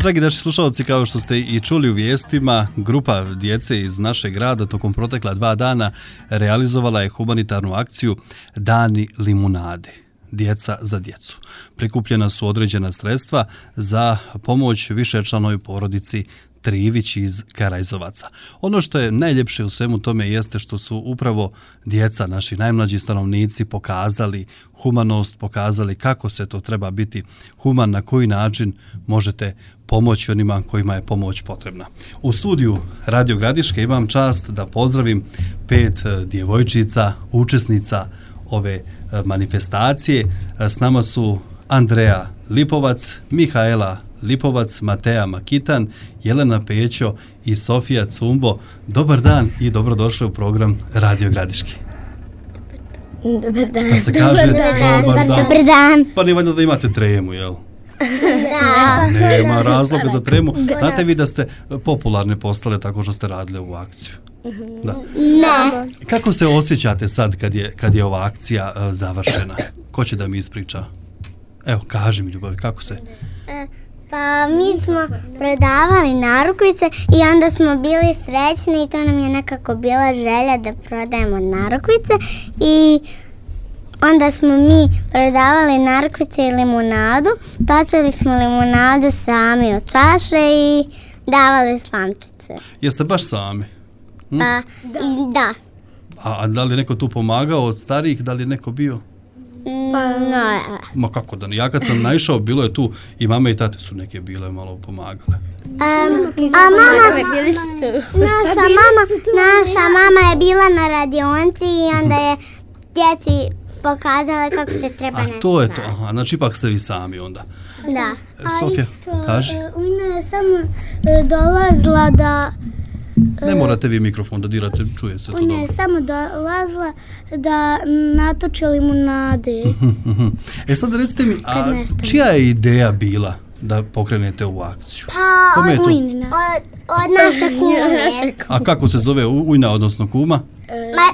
Dragi naši slušalci, kao što ste i čuli u vijestima, grupa djece iz našeg grada tokom protekla 2 dana realizovala je humanitarnu akciju Dani limunade. Djeca za djecu. Prikupljena su određena sredstva za pomoć višečlanoj porodici Trivić iz Karajzovaca. Ono što je najljepše u svemu tome jeste što su upravo djeca, naši najmlađi stanovnici, pokazali humanost, pokazali kako se to treba biti human, na koji način možete pomoći onima kojima je pomoć potrebna. U studiju Radio Gradiške imam čast da pozdravim 5 djevojčica, učesnica ove manifestacije. S nama su Andreja Lipovac, Mihaela Lipovac, Mateja Makitan, Jelena Pećo i Sofija Cumbo. Dobar dan i dobrodošli u program Radio Gradiške. Dobar dan. Šta se kaže? Dobar dan. Pa nije valjda da imate tremu, jel? Da. Nema razloga za tremu. Znate vi da ste popularne postale tako što ste radili ovu akciju? Da. Ne. Kako se osjećate sad kad je ova akcija završena? Ko će da mi ispriča? Evo, kaži mi, Ljubavi, kako se? Pa mi smo prodavali narukvice i onda smo bili srećni i to nam je nekako bila želja da prodajemo narukvice i onda smo mi prodavali narukvice i limunadu, točili smo limunadu sami od čaše i davali slamčice. Jeste baš sami? Pa, da. A da li je neko tu pomagao od starijih, da li je neko bio? No, Ma kako da ne, ja kad sam naišao, bilo je tu i mame i tate su neke bile malo pomagale. Naša mama je bila na radionci i onda je djeci pokazala kako se treba nešto. A to je to, aha, znači ipak ste vi sami onda. Da. Sofija, kaži. Una je samo dolazila da... Ne morate vi mikrofon da dirate, čuje se to dobro. Ona je samo dolazila da natoči limunade. Sad recite mi, a čija je ideja bila da pokrenete ovu akciju? Pa, od naše kume. A kako se zove ujna, odnosno kuma?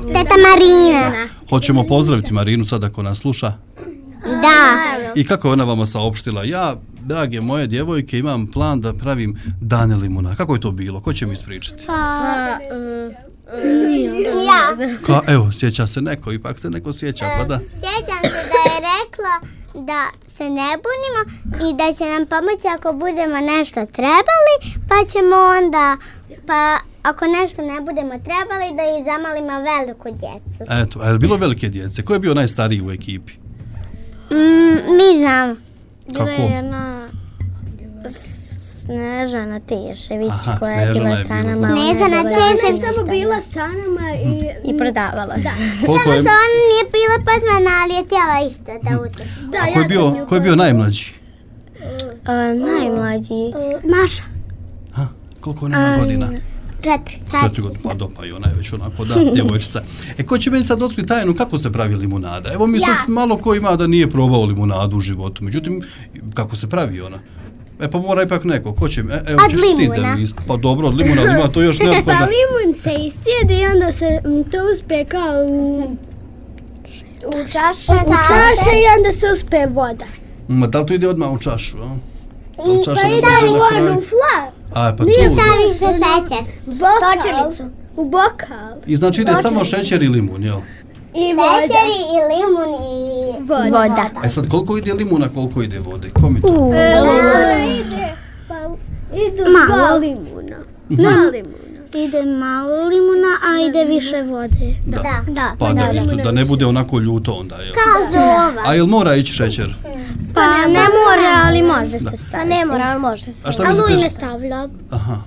Teta Marina. Hoćemo pozdraviti Marinu sad ako nas sluša. Da. I kako je ona vama saopštila? Ja, drage moje djevojke, imam plan da pravim dane limunade. Kako je to bilo? Ko će mi ispričati? Ja. Evo, sjeća se neko, ipak se neko sjeća, pa da. Sjećam se da je rekla da se ne bunimo i da će nam pomoći ako budemo nešto trebali, pa ćemo onda, pa ako nešto ne budemo trebali, da i zamalimo veliku djecu. Eto, a je li bilo velike djece? Ko je bio najstariji u ekipi? Mi znamo. Kako? Bila je jedna Snežana Tešević koja je Snežana bila je sa bila, nama. znam. Snežana Tešević Samo bila sa nama I prodavala. Da. Koliko je, Samo on nije bila pozvana, ali je htjela isto da učestvuje. ko je bio najmlađi? Najmlađi. Maša. Koliko ona ima godina? 4 godine, pa dopa i ona je već onako, da, djevojčica. Ko će meni sad otkriti tajnu kako se pravi limunada? Evo mi sad malo ko ima da nije probao limunadu u životu, međutim, kako se pravi ona? Pa mora ipak neko, ko će mi? Od limuna. Pa dobro, od limuna, ima to još neophodno. Pa limun se iscijedi i onda se to uspe kao u čaše i onda se uspe voda. Ma da li to ide odmah u čašu, a? I Stavi u flar. A, pa tu. stavi se šećer. U bokal. I znači ide samo šećer i limun, jel? I šećer i limun i Voda. Sad koliko ide limuna, koliko ide vode? Ko mi to? Idu dva limuna. Ide malo limuna, a ide više vode. Da. Pa da ne bude onako ljuto onda, jel? Kao zova. A jel mora ići šećer? Pa ne mora, ali može se staviti. Pa ne mora, ali može se. A šta Ali mislite? ne stavlja. Aha.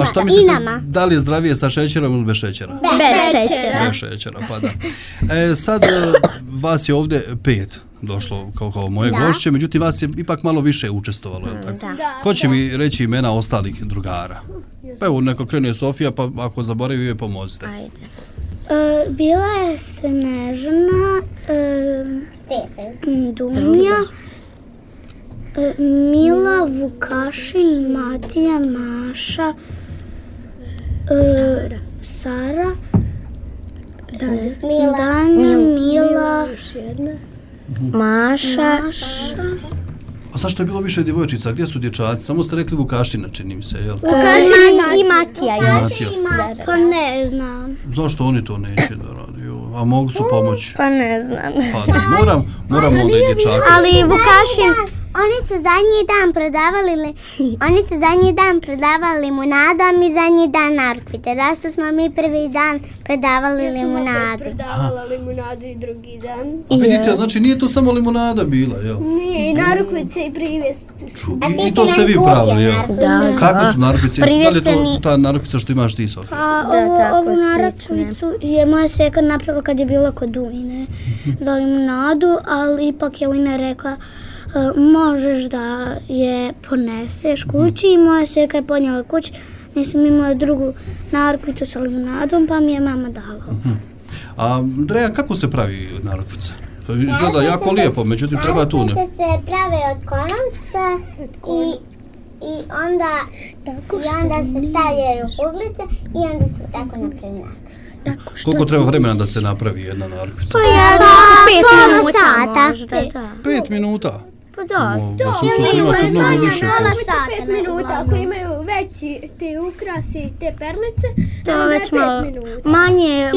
A šta mislite, da li je zdravije sa šećerom ili bez šećera? Bez šećera. Bez šećera, pa da. Sad vas je ovdje 5 došlo kao moje gošće, međutim vas je ipak malo više učestvovalo, je li tako? Ko će mi reći imena ostalih drugara? Pa evo, neko krene Sofija, pa ako zaboravi je pomozite. Ajde. Bila je Snežana, Dunja, Mila, Vukašin, Matija, Maša, Sara, Danja, Mila, Maša. A zašto je bilo više djevojčica? Gdje su dječaci? Samo ste rekli Vukašina, čini mi se, jel? Vukašin i Matija. Pa ne znam. Zašto oni to neće da radi? A mogu su pomoći? Pa ne znam. Pa da, moram onda i dječaka. Ali Vukašin... Oni su zadnji dan prodavali limunadu, a mi zadnji dan narukvice. Zašto smo mi prvi dan prodavali limunadu? Ja sam prodavala limunadu i drugi dan. A vidite, znači nije to samo limunada bila, jel? Nije, i narukvice i privjesci. I to ste vi pravili, jel? Da. Kakve su narukvice? Da li je to Privjesceni- ta narukvica što imaš ti, Sofija? Da, tako ovu slične. narukvicu je moja seka napravila kad je bila kod Ujne za limunadu, ali ipak je Ujna rekla možeš da je poneseš kući i moja seka je ponijela kući. Nisam imala drugu narukvicu sa limunadom, pa mi je mama dala. A Andreja, kako se pravi narukvica? Izgleda jako lijepo, međutim treba tu ne. Narukvice se prave od konovca i onda se stavljaju kuglice i onda se tako napravi narukvica. Koliko treba vremena da se napravi jedna narukvica? Pola sata. Možda, da. 5 minuta? Pa da. Ja sam mislila imate mnogo više. 5 minuta, ako imaju veći te ukrasi, te perlice, To već malo. minuta. Manje,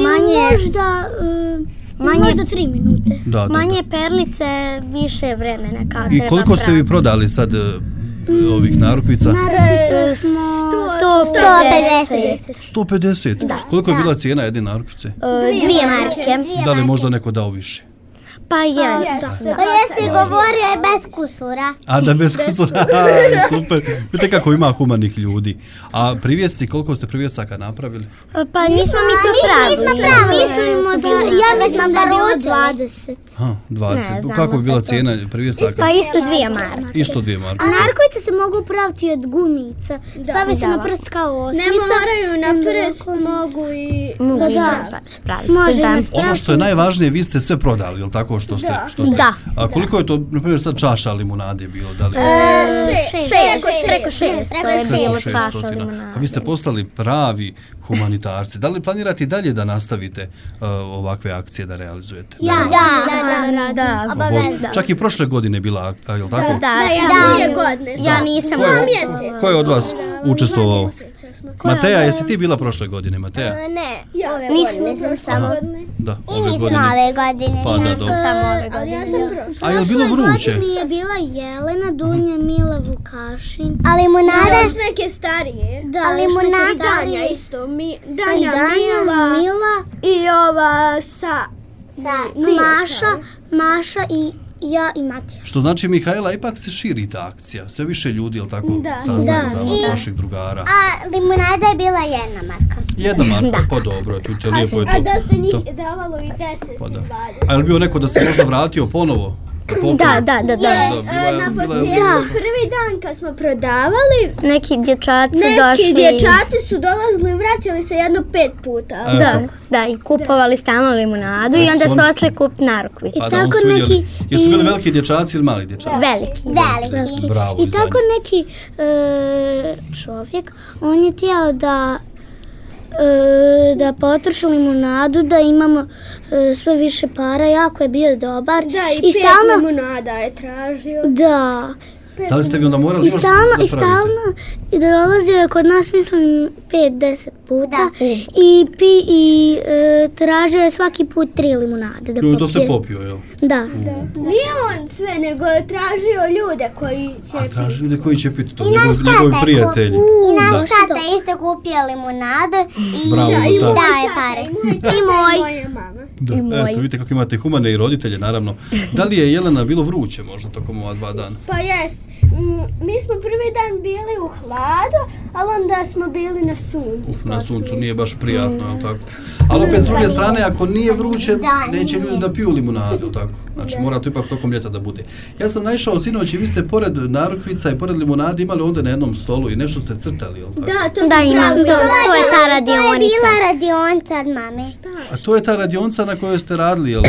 Možda 3 minute. Da. manje perlice, više vremena kad I treba koliko ste vi prodali sad ovih narukvica? Narukvice smo 150. 150? Koliko je bila cijena jedne narukvice? 2 marke. Da li možda neko dao više? Pa jeste. Pa jesi govorio je bez kusura. A da bez kusura, super. Vidite kako ima humanih ljudi. A privjesci, koliko ste privjesaka napravili? Pa nismo mi to pravili. Mislimo da, ja mislim da bilo 20. Ha, 20. Ne znamo Kako bi bila sad to. cijena privjesaka? Pa isto 2 marke. Isto 2 marke. Narukvice se mogu praviti od gumica. Stavi se na prst kao osmica. Ne moraju na prst, mogu i... Mogu spraviti. Ono što je najvažnije, vi ste sve prodali, jel tako što ste? Da. A koliko je to, na primjer, sad čaša limunade bilo? Da li? Preko 600 je bilo čaša 600. limunade. A vi ste postali pravi humanitarci. Da li planirate i dalje da nastavite ovakve akcije da realizujete? Da. Čak i prošle godine bila, jel tako? Ja nisam. Ko je od vas učestvovao? Mateja, jesi ti bila prošle godine, Mateja? Ne, Nisam samo. Da, i mi smo ove godine. Pa da, dobro. Samo ove godine. A je li bilo vruće? je bila Jelena, Dunja, Mila, Vukašin. A limunada? Još neke starije. Da, A limunada? Danja isto. Danja, Mila i ova Maša i ja i Matija. Što znači, Mihajla, ipak se širi ta akcija. Sve više ljudi, jel tako, saznaje za vas, vaših drugara. A limunada je bila 1 marka. 1 marka, pa dobro, tu te lijepo je to. A dosta njih davalo i 10 Pa i da. 20. A je li bio neko da se možda vratio ponovo? Da. Na početku, prvi dan kad smo prodavali, Neki dječaci neki dječaci su dolazili i vraćali se jedno 5 puta. Da, i kupovali stalno limunadu i onda su očeli kupiti narukvicu. Pa da, on su vidjeli. Jesu bili veliki dječaci ili mali dječaci? Veliki. Bravo, I tako neki čovjek, on je htio da potroši limunadu, da imamo sve više para, jako je bio dobar. Da, i 5 limunada je tražio. Da. Da li ste vi onda morali još da pravite? I stalno dolazio je kod nas, mislim, 5-10 puta i tražio je svaki put 3 limunade da popije. To se popio, jel? Da. Nije on sve, nego je tražio ljude koji će piti. A tražio ljude koji će piti to, njegovi prijatelji. I naš tata isto kupio limunadu i daje pare. I moja mama. Eto, vidite kako imate humane i roditelje, naravno. Da li je Jelena bilo vruće možda tokom ova 2 dana? Pa jes. Mi smo prvi dan bili u hladu, ali onda smo bili na suncu. Na suncu nije baš prijatno, jel tako? Ali opet s druge strane, ako nije vruće, neće ljudi da piju limunadu, tako? Znači, mora to ipak tokom ljeta da bude. Ja sam naišao sinoć i vi ste pored narukvica i pored limunade imali onda na jednom stolu i nešto ste crtali, jel tako? Da, imam, to je ta radionica. To je bila radionica od mame. A to je ta radionica na kojoj ste radili, jel?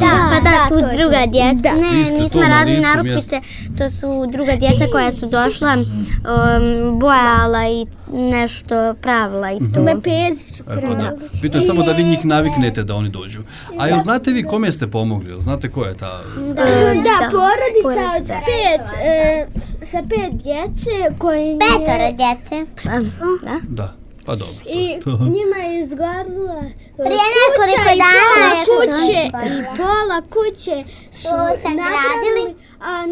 Pa da, tu druga djeca. Ne, Vi ste nismo to na radili licu narukvice, to su druga djeca koja su došla bojala i nešto pravila i to. Lepezi su Bitno je samo da vi njih naviknete da oni dođu. A jel znate vi kome ste pomogli? Jel znate ko je ta? Da, porodica od sa 5 djece koji... 5 djece. Da, pa dobro. I njima je izgorila Prije nekoliko dana je kuće, pola kuće su sagradili, a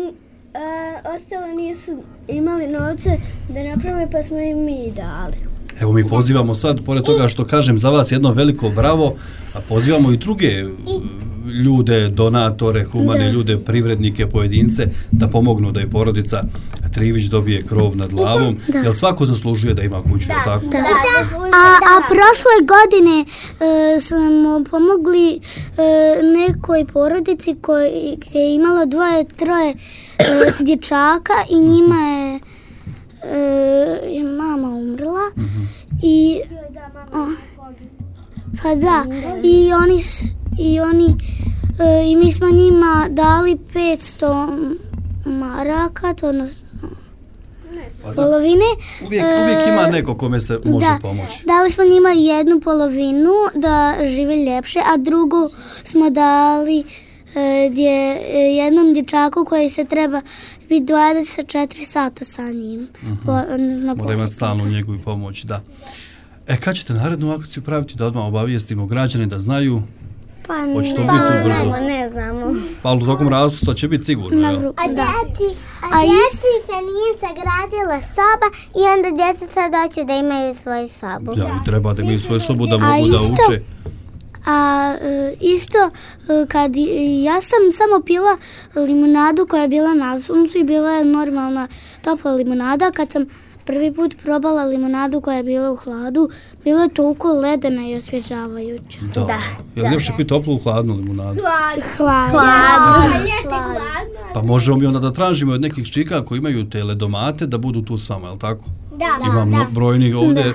ostalo nisu imali novce da naprave, pa smo im mi dali. Evo mi pozivamo sad, pored toga što kažem za vas jedno veliko bravo, a pozivamo i druge ljude, donatore, humane ljude, privrednike, pojedince, da pomognu da je porodica Trivić dobije krov nad glavom, jer svako zaslužuje da ima kuću, tako? A prošle godine smo pomogli nekoj porodici gdje je imalo 2-3 dječaka i njima je mama umrla i pa da, i mi smo njima dali 500 maraka, to polovine. Uvijek ima neko kome se može pomoći. Dali smo njima jednu polovinu da žive ljepše, a drugu smo dali jednom dječaku koji se treba biti 24 sata sa njim. Mora imati stalnu njegu i pomoć, da. Kad ćete narednu akciju praviti da odmah obavijestimo građane da znaju? Pa hoće to biti brzo? Ne znamo. Pa u tokom raspusta će biti sigurno, jel? A djeci se nije sagradila soba i onda djeca sad hoće da imaju svoju sobu. Ja, treba da imaju svoju sobu da mogu da uče. A isto, kad ja sam samo pila limunadu koja je bila na suncu i bila je normalna topla limunada, kad sam prvi put probala limunadu koja je bila u hladu, bila je toliko ledena i osvježavajuća. Da. Je li ljepše piti toplu u hladnu limunadu? Hladno. Pa možemo mi onda da tražimo od nekih čika koji imaju te ledomate da budu tu s vama, je li tako? Imam brojni ovdje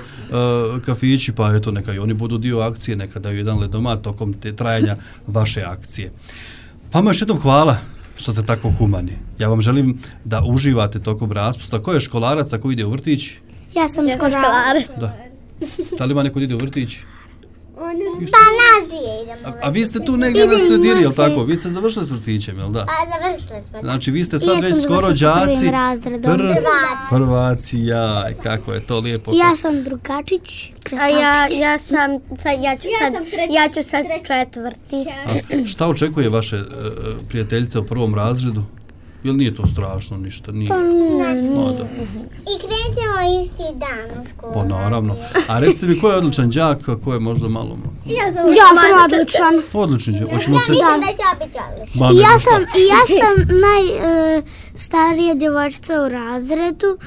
kafići, pa eto neka i oni budu dio akcije, neka daju jedan ledomat tokom te trajanja vaše akcije. Pa još jednom hvala što ste tako humani. Ja vam želim da uživate tokom raspusta. Ko je školarac, a ko ide u vrtić? Ja sam školarac. Da li ima neko ide u vrtić? Pa nazije idemo. A vi ste tu negdje na sredini, jel tako? Vi ste završili s vrtićem, jel da? Završili smo. Znači vi ste sad već skoro đaci. Prvaci, jaj, kako je to lijepo. Ja sam drugačić. A ja ću sad četvrti. A šta očekuje vaše prijateljice u prvom razredu? Jel nije to strašno ništa? Nije. I krećemo isti dan u školu. Pa naravno. A recite mi, ko je odličan đak, a ko je možda malo... Ja sam odličan. Odličan đak. Ja mislim da ću biti odličan. Ja sam najstarija djevojčica u razredu.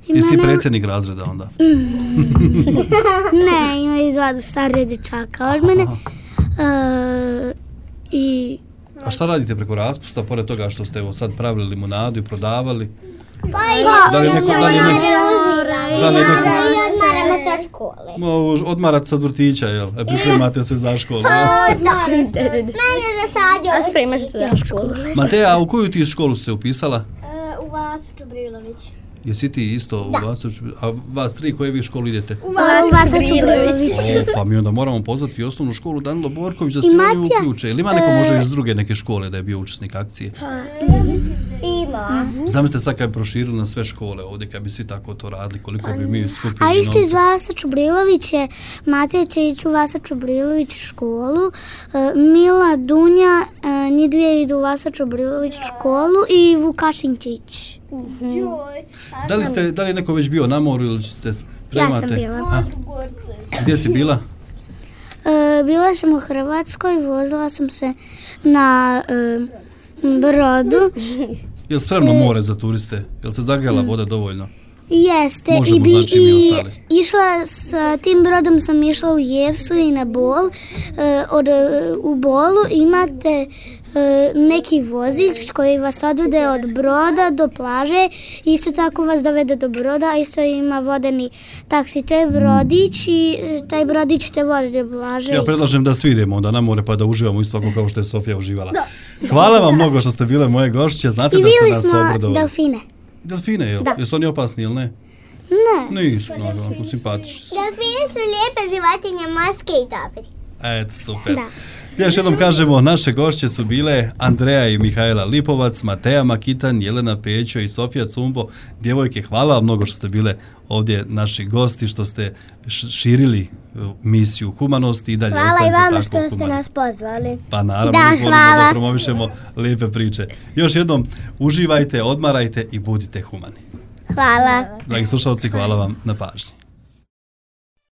Jesi ti predsjednik razreda onda? Ne, imaju 2 starije dječaka od mene. A šta radite preko raspusta, pored toga što ste evo sad pravili limunadu i prodavali? Da li je neko... Odmaramo sa škole. Odmarate se od vrtića, jel? Pripremate se za školu. Mene da sađu. Spremate se za školu. Mateja, a u koju ti školu se upisala? U Vasu Čubrilović. Jesi ti isto u Vasu Čubrilović? A vas 3 koje vi školu idete? U Vasu Čubrilović. Pa mi onda moramo pozvati i osnovnu školu Danilo Borković da se oni uključe. Ili ima neko možda iz druge neke škole da je bio učesnik akcije? Ima. Zamislite sad kad bi proširili na sve škole ovdje, kad bi svi tako to radili, koliko bi mi skupili novca. A isto iz Vasa Čubrilović je, Matija će ići u Vasa Čubrilović školu, Mila, Dunja, njih dvije idu u Vasa Čubrilović školu i Vukašin će ići. Da li je neko već bio na moru ili se spremate? Ja sam bila. Gdje si bila? Bila sam u Hrvatskoj, vozila sam se na brodu. Je li spremno more za turiste? Je li se zagrela voda dovoljno? Jeste. Možemo, znači mi ostali. Išla sa tim brodom sam išla u Jesu i na Bol. U Bolu imate neki vozič koji vas odvede od broda do plaže, isto tako vas dovede do broda, a isto ima vodeni taksi, to je brodić i taj brodić te vozi do plaže. Ja predlažem da svi idemo onda na more pa da uživamo isto tako kao što je Sofija uživala. Hvala vam mnogo što ste bile moje gošće, znate da ste nas obradovali. I vidjeli smo delfine. Delfine, jel? Da. Jesu oni opasni ili ne? Ne. Nisu, naravno, simpatični su. Delfini su lijepe životinje, morske i dobre. Eto, super. Da. Još jednom kažemo, naše gošće su bile Andreja i Mihajla Lipovac, Mateja Makitan, Jelena Pećo i Sofija Cumbo. Djevojke, hvala vam mnogo što ste bile ovdje naši gosti, što ste širili misiju humanosti i dalje Hvala i ostanite vama tako što ste humani. nas pozvali. Pa naravno, Da, mi volimo hvala. da promovišemo lijepe priče. Još jednom, uživajte, odmarajte i budite humani. Hvala. Dragi slušalci, hvala vam na pažnji.